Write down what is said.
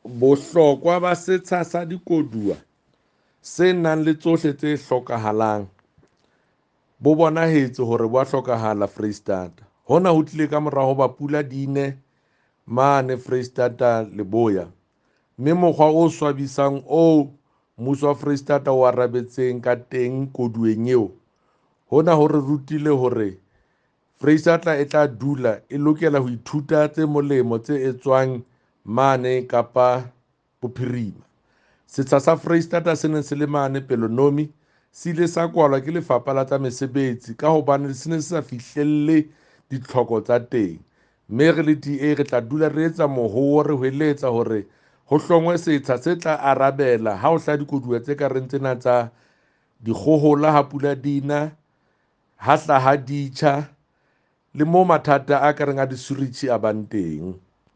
Bohlokwa ba setsha sa dikoduwa se nang le tsohle tse hlokahalang bo bonahetse hore bo a hlokahala Foreisetata. Hona ho tlile kamora hoba pula di ne mane Foreisetata Leboya, mme mokgwa o swabisang oo mmuso wa Foreisetata o arabetseng ka teng koduweng eo, hona ho re rutile hore Foreisetata e tla dula e lokela ho ithuta tse molemo tse etswang mane Kapa Bophirima. Setsha sa Foreisetata se neng se le mane Pelonomi se ile sa kwalwa ke Lefapha la tsa Mesebetsi ka hobane se ne se sa fihlelle ditlhoko tsa teng, mme re le DA re tla dula re etsa mohoo re hweletsa hore ho hlongwe setsha se tla arabela ha ho hlaha dikoduwa tse ka reng tsena tsa dikgohola ha pula di na, ha hlaha ditjha le moo mathata a ka reng a disuritjhi a bang teng.